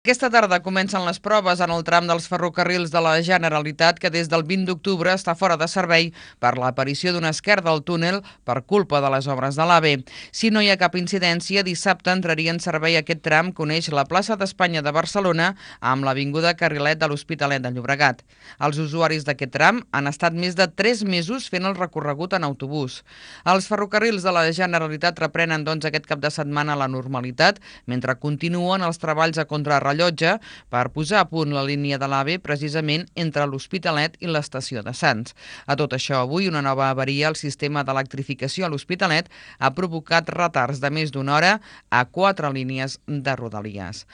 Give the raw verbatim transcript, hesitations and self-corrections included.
Aquesta tarda comencen les proves en el tram dels ferrocarrils de la Generalitat que des del vint d'octubre està fora de servei per l'aparició d'un esquert del túnel per culpa de les obres de l'AVE. Si no hi ha cap incidència, dissabte entraria en servei aquest tram que uneix la plaça d'Espanya de Barcelona amb l'avinguda Carrilet de l'Hospitalet de Llobregat. Els usuaris d'aquest tram han estat més de tres mesos fent el recorregut en autobús. Els ferrocarrils de la Generalitat reprenen doncs aquest cap de setmana la normalitat mentre continuen els treballs a contrarrellotge per posar a punt la línia de l'AVE precisament entre l'Hospitalet i l'estació de Sants. A tot això, avui una nova avaria al sistema d'electrificació a l'Hospitalet ha provocat retards de més d'una hora a quatre línies de Rodalies.